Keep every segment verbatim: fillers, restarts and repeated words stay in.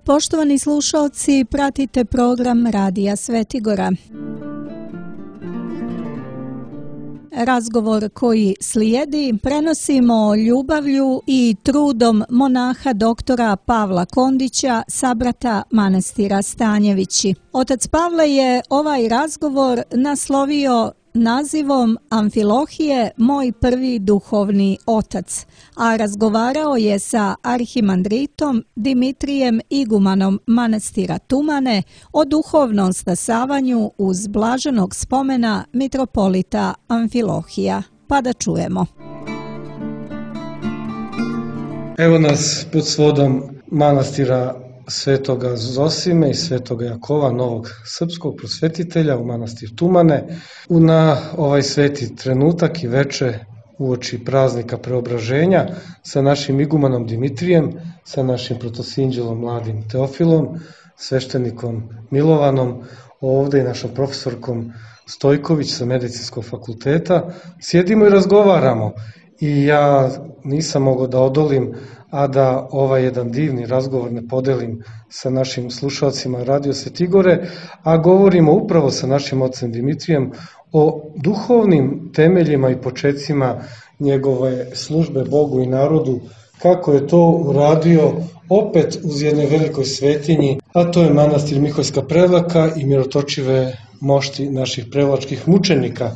Poštovani slušalci, pratite program Radija Svetigora. Razgovor koji slijedi prenosimo ljubavlju i trudom monaha doktora Pavla Kondića, sabrata manastira Stanjevići. Otac Pavle je ovaj razgovor naslovio nazivom Amfilohije, moj prvi duhovni otac, a razgovarao je sa arhimandritom Dimitrijem igumanom manastira Tumane o duhovnom stasavanju uz blaženog spomena mitropolita Amfilohija. Pa da čujemo. Evo nas pod svodom manastira Svetoga Zosime i Svetoga Jakova, novog srpskog prosvetitelja u manastir Tumane, na ovaj sveti trenutak i veče uoči praznika preobraženja sa našim igumanom Dimitrijem, sa našim protosinđelom mladim Teofilom, sveštenikom Milovanom, ovde i našom profesorkom Stojković sa medicinskog fakulteta. Sjedimo i razgovaramo i ja nisam mogao da odolim, a da ovaj jedan divni razgovor ne podelim sa našim slušalcima Radio Svetigore, a govorimo upravo sa našim ocem Dimitrijem o duhovnim temeljima i počecima njegove službe Bogu i narodu, kako je to uradio opet uz jedne velikoj svetinji, a to je manastir Miholjska Prevlaka i mirotočive mošti naših prevlačkih mučenika.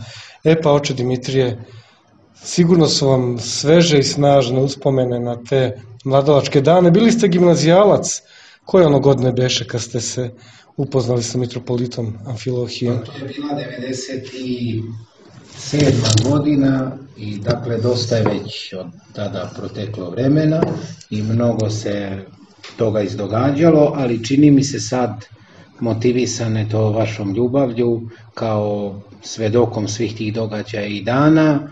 E pa, oče Dimitrije, sigurno su vam sveže i snažne uspomene na te mladalačke dane. Bili ste gimnazijalac. Koje ono godine beše kad ste se upoznali sa mitropolitom Amfilohijom? To je bila devedeset sedma godina i dakle dosta je već od tada proteklo vremena i mnogo se toga izdogađalo, ali čini mi se sad motivisane to vašom ljubavlju kao svedokom svih tih događaja i dana.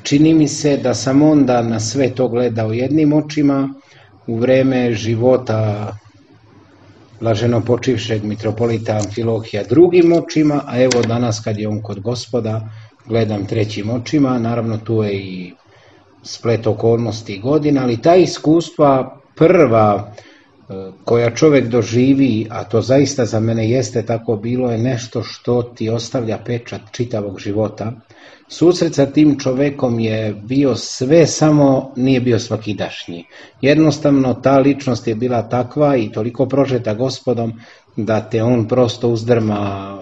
Čini mi se da sam onda na sve to gledao jednim očima u vreme života blaženo počivšeg mitropolita Amfilohija drugim očima, a evo danas kad je on kod Gospoda gledam trećim očima. Naravno tu je i splet okolnosti i godina, ali ta iskustva prva koja čovjek doživi, a to zaista za mene jeste tako bilo, je nešto što ti ostavlja pečat čitavog života. Susret sa tim čovekom je bio sve, samo nije bio svakidašnji. Jednostavno ta ličnost je bila takva i toliko prožeta Gospodom da te on prosto uzdrma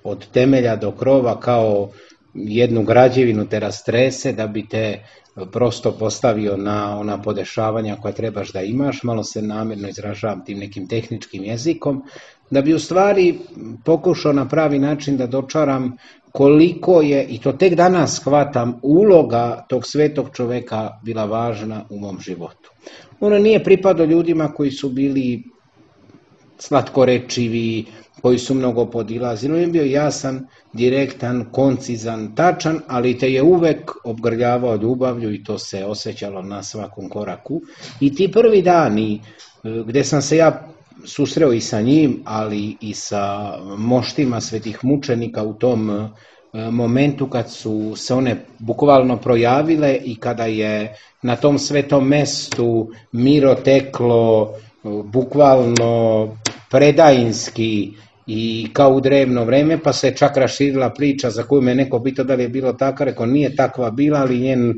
od temelja do krova, kao jednu građevinu te rastrese da bi te prosto postavio na ona podešavanja koja trebaš da imaš. Malo se namjerno izražavam tim nekim tehničkim jezikom, da bi u stvari pokušao na pravi način da dočaram koliko je, i to tek danas shvatam, uloga tog svetog čoveka bila važna u mom životu. Ono nije pripadao ljudima koji su bili slatkorečivi, koji su mnogo podilazili. On je bio jasan, direktan, koncizan, tačan, ali te je uvek obgrljavao ljubavlju i to se osjećalo na svakom koraku. I ti prvi dani gde sam se ja susreo i sa njim, ali i sa moštima svetih mučenika u tom momentu kad su se one bukvalno projavile i kada je na tom svetom mestu miro teklo bukvalno predajinski i kao u drevno vreme, pa se čak raširila priča za koju me neko pitao da li je bilo tako, rekao nije takva bila, ali njen e,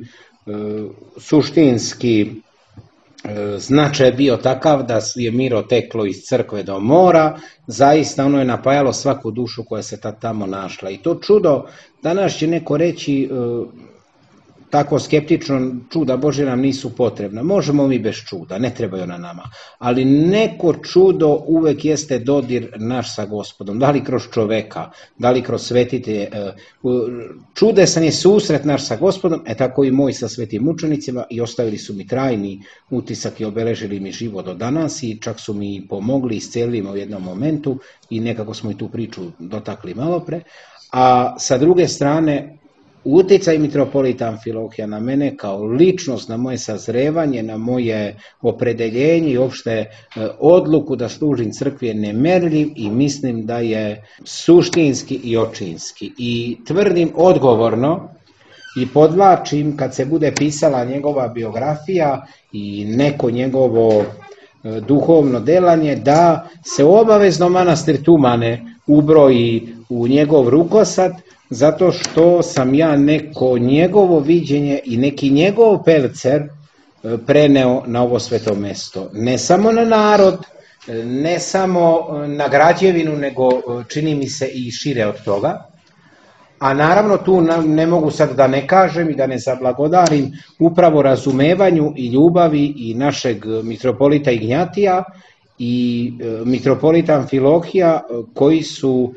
suštinski e, značaj je bio takav da je miro teklo iz crkve do mora. Zaista ono je napajalo svaku dušu koja se tad tamo našla. I to čudo, danas će neko reći e, tako skeptično, čuda Božja nam nisu potrebna. Možemo mi bez čuda, ne trebaju na nama. Ali neko čudo uvek jeste dodir naš sa Gospodom. Da li kroz čoveka, da li kroz svetitelje. Čudesan je susret naš sa Gospodom, e tako i moj sa svetim mučenicima, i ostavili su mi trajni utisak i obeležili mi život do danas i čak su mi pomogli, iscelili me u jednom momentu i nekako smo i tu priču dotakli malo pre. A sa druge strane, uticaj mitropolita Amfilohija na mene kao ličnost, na moje sazrevanje, na moje opredeljenje i uopšte odluku da služim crkvi je nemerljiv i mislim da je suštinski i očinski. I tvrdim odgovorno i podvlačim kad se bude pisala njegova biografija i neko njegovo duhovno delanje, da se obavezno manastir Tumane ubroji u njegov rukosad, zato što sam ja neko njegovo viđenje i neki njegov pelcer preneo na ovo sveto mesto. Ne samo na narod, ne samo na građevinu, nego čini mi se i šire od toga. A naravno tu ne mogu sad da ne kažem i da ne zablagodarim upravo razumevanju i ljubavi i našeg mitropolita Ignjatija i mitropolita Amfilohija, koji su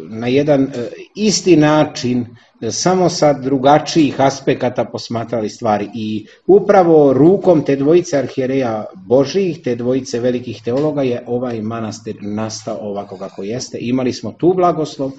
na jedan isti način, samo sa drugačijih aspekata posmatrali stvari. I upravo rukom te dvojice arhijereja Božijih, te dvojice velikih teologa, je ovaj manastir nastao ovako kako jeste. Imali smo tu blagoslov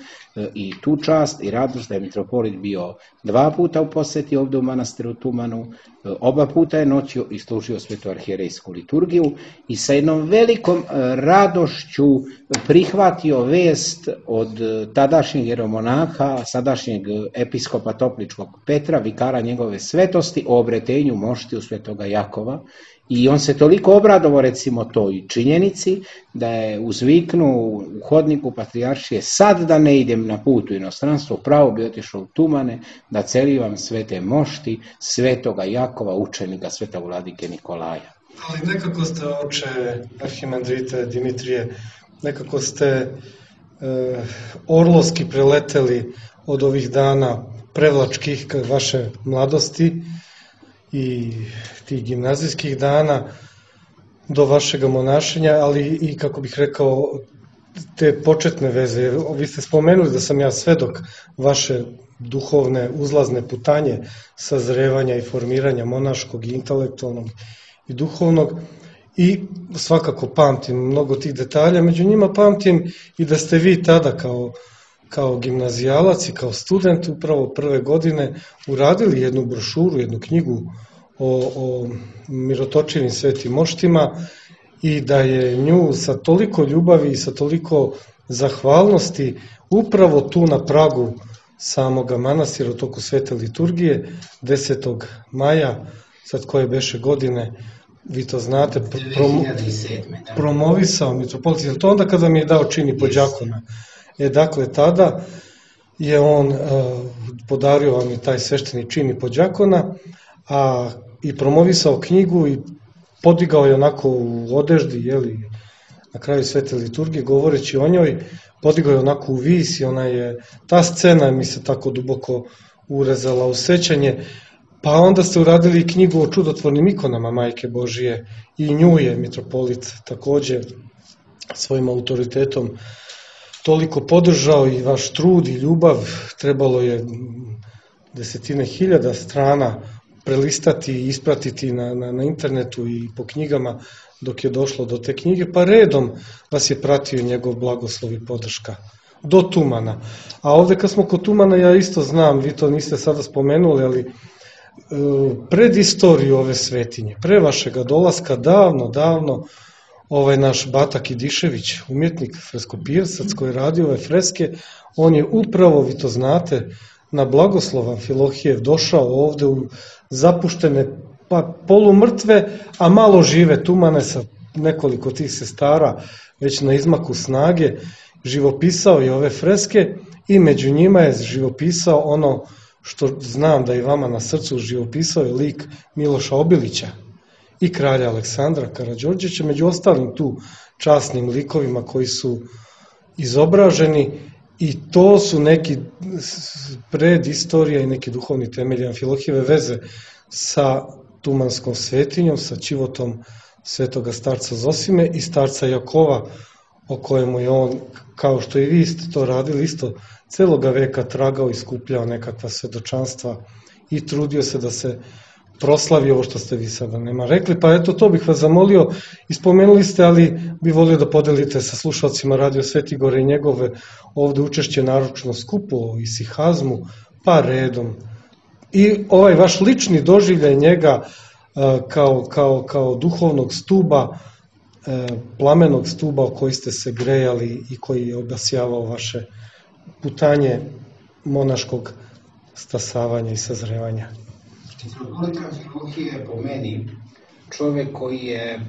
i tu čast i radost da je mitropolit bio dva puta u poseti ovdje u manastiru Tumanu, oba puta je noćio i služio svetu arhijerejsku liturgiju i sa jednom velikom radošću prihvatio vest od tadašnjeg jeromonaha, sadašnjeg episkopa Topličkog Petra, vikara njegove svetosti, o obretenju moštiju svetoga Jakova. I on se toliko obradovao, recimo, toj činjenici, da je uzviknuo u hodniku patrijaršije: sad da ne idem na put u inostranstvo, pravo bi otišao u Tumane da celivam svete mošti svetoga Jakova, učenika sveta vladike Nikolaja. Ali nekako ste, oče arhimandrite Dimitrije, nekako ste e, orlovski preleteli od ovih dana prevlačkih vaše mladosti i tih gimnazijskih dana do vašega monašenja, ali i, kako bih rekao, te početne veze. Vi ste spomenuli da sam ja svedok vaše duhovne uzlazne putanje sazrevanja i formiranja monaškog i intelektualnog i duhovnog, i svakako pamtim mnogo tih detalja. Među njima pamtim i da ste vi tada kao kao gimnazijalac i kao student upravo prve godine uradili jednu brošuru, jednu knjigu o, o mirotočivim svetim moštima, i da je nju sa toliko ljubavi i sa toliko zahvalnosti upravo tu na pragu samoga manastira u toku svete liturgije desetog maja, sad koje beše godine, vi to znate, prom, promovisao mitropolit. Je to onda kada mi je dao čini podjakona? E, dakle, tada je on uh, podario vam i taj svešteni čin i podjakona, a i promovisao knjigu i podigao je onako u odeždi, jeli, na kraju svete liturgije, govoreći o njoj, podigao je onako u vis i ona je, ta scena mi se tako duboko urezala u sećanje. Pa onda ste uradili knjigu o čudotvornim ikonama Majke Božije i nju je mitropolit takođe svojim autoritetom toliko podržao, i vaš trud i ljubav. Trebalo je desetine hiljada strana prelistati i ispratiti na, na, na internetu i po knjigama dok je došlo do te knjige, pa redom vas je pratio njegov blagoslov i podrška do Tumana. A ovde kad smo kod Tumana, ja isto znam, vi to niste sada spomenuli, ali pred istoriju ove svetinje, pre vašega dolaska, davno, davno, ovaj naš Bata Kidišević, umjetnik, freskopisac koji radi ove freske, on je upravo, vi to znate, na blagoslov Amfilohijev došao ovde u zapuštene, pa polumrtve, a malo žive Tumane sa nekoliko tih sestara, već na izmaku snage, živopisao je ove freske i među njima je živopisao ono što znam da i vama na srcu, živopisao je lik Miloša Obilića i kralja Aleksandra Karađorđevića, među ostalim tu časnim likovima koji su izobraženi, i to su neki predistorija i neki duhovni temelji Amfilohijeve veze sa tumanskom svetinjom, sa čivotom svetoga starca Zosime i starca Jakova, o kojemu je on, kao što i vi ste to radili, isto celoga veka tragao i skupljao nekakva svedočanstva i trudio se da se proslavi ovo što ste vi sada nema rekli. Pa eto, to bih vas zamolio, ispomenuli ste, ali bi volio da podelite sa slušalcima Radio Svetigore i njegove ovde učešće naročno skupo o isihazmu, pa redom. I ovaj vaš lični doživljaj njega kao, kao, kao duhovnog stuba, plamenog stuba o koji ste se grejali i koji je obasjavao vaše putanje monaškog stasavanja i sazrevanja. Mitropolitan Filohije je po meni čovjek koji je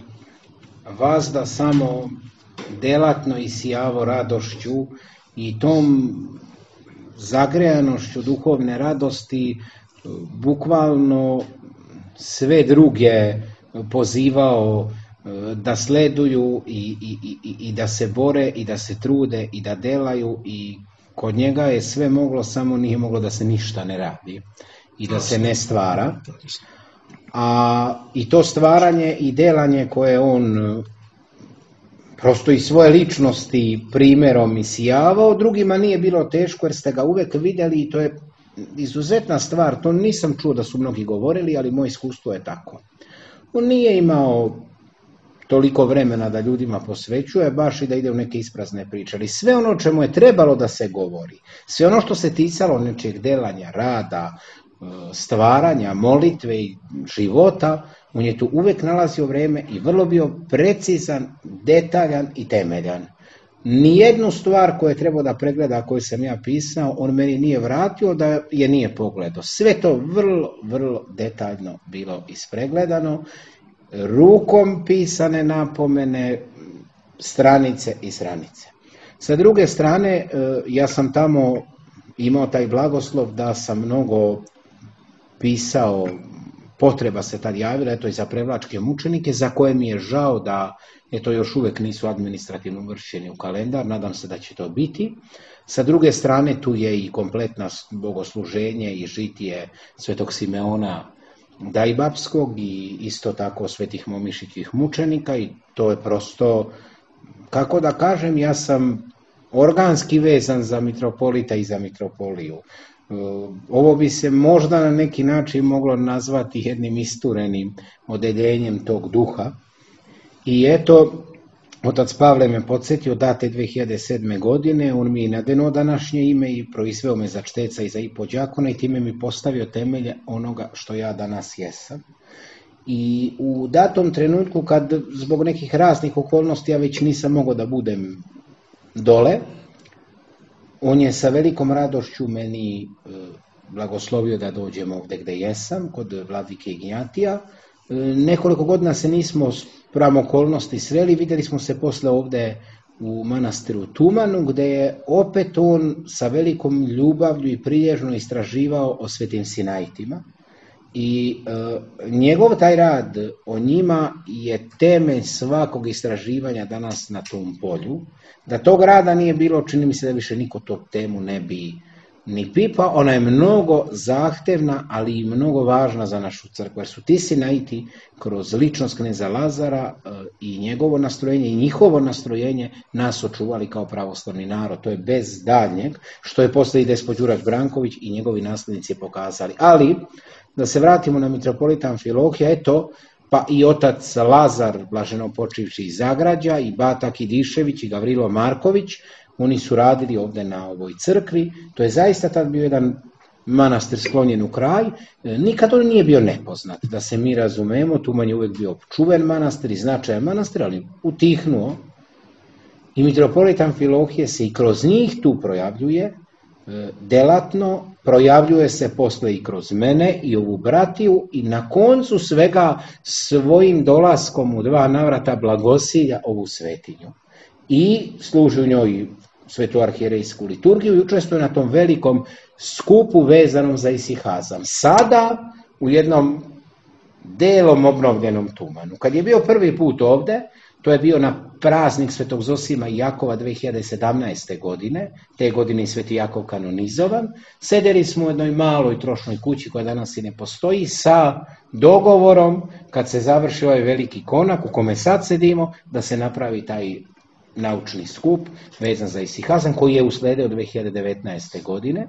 vazda samo delatno isijavo radošću i tom zagrejanošću duhovne radosti bukvalno sve druge pozivao da sleduju i, i, i, i da se bore i da se trude i da delaju, i kod njega je sve moglo, samo nije moglo da se ništa ne radi i da se ne stvara. A i to stvaranje i delanje koje on prosto i svoje ličnosti primjerom isijavao, drugima nije bilo teško jer ste ga uvek vidjeli i to je izuzetna stvar. To nisam čuo da su mnogi govorili, ali moje iskustvo je tako. On nije imao toliko vremena da ljudima posvećuje, baš i da ide u neke isprazne priče, ali sve ono o čemu je trebalo da se govori, sve ono što se ticalo nečeg delanja, rada, stvaranja, molitve i života, on je tu uvek nalazio vreme i vrlo bio precizan, detaljan i temeljan. Nijednu stvar koju je trebao da pregleda, koju sam ja pisao, on meni nije vratio da je nije pogledao. Sve to vrlo, vrlo detaljno bilo ispregledano, rukom pisane napomene, stranice i stranice. Sa druge strane, ja sam tamo imao taj blagoslov da sam mnogo pisao, potreba se tad javila, eto i za prevlačke mučenike, za koje mi je žao da eto još uvek nisu administrativno uvršćeni u kalendar, nadam se da će to biti. Sa druge strane, tu je i kompletna bogosluženje i žitije Svetog Simeona Dajbapskog i isto tako svetih momišićih mučenika, i to je prosto, kako da kažem, ja sam organski vezan za mitropolita i za mitropoliju. Ovo bi se možda na neki način moglo nazvati jednim isturenim odeljenjem tog duha. I eto, otac Pavle me podsjetio da te dve hiljade sedme. godine, on mi je nadeno današnje ime i proizveo me za čteca i za ipođakona i time mi postavio temelje onoga što ja danas jesam. I u datom trenutku, kad zbog nekih raznih okolnosti ja već nisam mogao da budem dole, on je sa velikom radošću meni blagoslovio da dođem ovde gde jesam, kod vladike Ignjatija. Nekoliko godina se nismo spram okolnosti sreli, vidjeli smo se posle ovde u manastiru Tumanu, gde je opet on sa velikom ljubavlju i prilježno istraživao o svetim Sinajtima. I e, njegov taj rad o njima je temelj svakog istraživanja danas na tom polju. Da tog rada nije bilo, čini mi se da više niko tu temu ne bi ni pipa. Ona je mnogo zahtevna, ali i mnogo važna za našu crkvu, jer su ti Sinajti kroz ličnost kneza Lazara e, i njegovo nastrojenje i njihovo nastrojenje nas očuvali kao pravoslavni narod. To je bez daljnjeg, što je posle i despot Đurađ Branković i njegovi naslednici pokazali. Ali da se vratimo na mitropolitan Filohija, eto, pa i otac Lazar, blaženo počivši iz Zagrađa, i Bata Kidišević i Gavrilo Marković, oni su radili ovde na ovoj crkvi. To je zaista tad bio jedan manastir sklonjen u kraj. Nikad on nije bio nepoznat, da se mi razumemo, Tuman je uvek bio čuven manastir i značajan manastir, ali utihnuo. I mitropolitan Filohije se i kroz njih tu projavljuje, delatno, projavljuje se posle i kroz mene i ovu bratiju, i na koncu svega svojim dolaskom u dva navrata blagosilja ovu svetinju. I služi u njoj svetu arhijerejsku liturgiju i učestvuje na tom velikom skupu vezanom za isihazam. Sada u jednom delom obnovljenom Tumanu. Kad je bio prvi put ovde, to je bio na praznik Svetog Zosima i Jakova dve hiljade sedamnaeste. godine, te godine i Sveti Jakov kanonizovan. Sedeli smo u jednoj maloj trošnoj kući koja danas i ne postoji, sa dogovorom, kad se završi ovaj veliki konak u kome sad sedimo, da se napravi taj naučni skup vezan za isihazam, koji je usledeo dve hiljade devetnaeste. godine.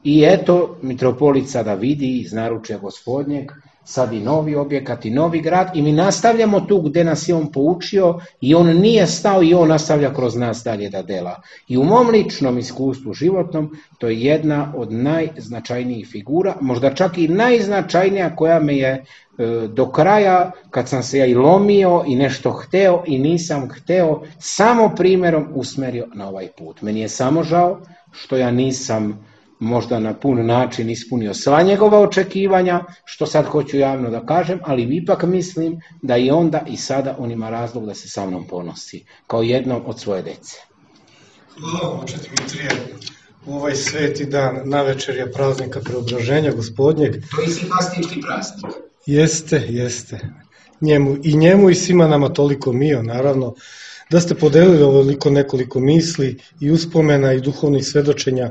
I eto, mitropolit sada vidi iz naručja Gospodnjeg sad i novi objekat i novi grad, i mi nastavljamo tu gde nas je on poučio, i on nije stao i on nastavlja kroz nas dalje da dela. I u mom ličnom iskustvu životnom to je jedna od najznačajnijih figura, možda čak i najznačajnija, koja me je e, do kraja, kad sam se ja i lomio i nešto hteo i nisam hteo, samo primjerom usmerio na ovaj put. Meni je samo žao što ja nisam možda na pun način ispunio sva njegova očekivanja, što sad hoću javno da kažem, ali ipak mislim da i onda i sada on ima razlog da se sa mnom ponosi, kao jednom od svoje dece. Hvala vam, oče Dimitrije. U ovaj sveti dan, navečerja praznika Preobraženja Gospodnjeg. To je simpastički praznik. Jeste, jeste. Njemu, I njemu i svima nama toliko mio, naravno, da ste podelili ovoliko nekoliko misli i uspomena i duhovnih svedočenja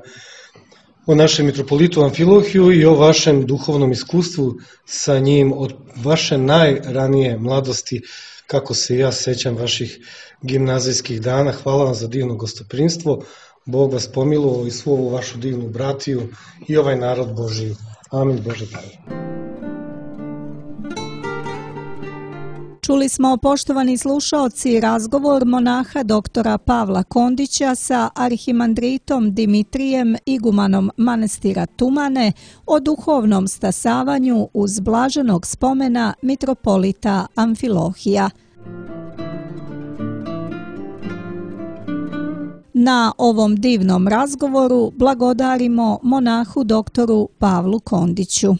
o našem mitropolitu Amfilohiju i o vašem duhovnom iskustvu sa njim od vaše najranije mladosti, kako se ja sećam vaših gimnazijskih dana. Hvala vam za divno gostoprimstvo. Bog vas pomilovao i svu ovu vašu divnu bratiju i ovaj narod Božiji. Amin Bože daj. Čuli smo, poštovani slušaoci, razgovor monaha doktora Pavla Kondića sa arhimandritom Dimitrijem, igumanom manastira Tumane, o duhovnom stasavanju uz blaženog spomena mitropolita Amfilohija. Na ovom divnom razgovoru blagodarimo monahu doktoru Pavlu Kondiću.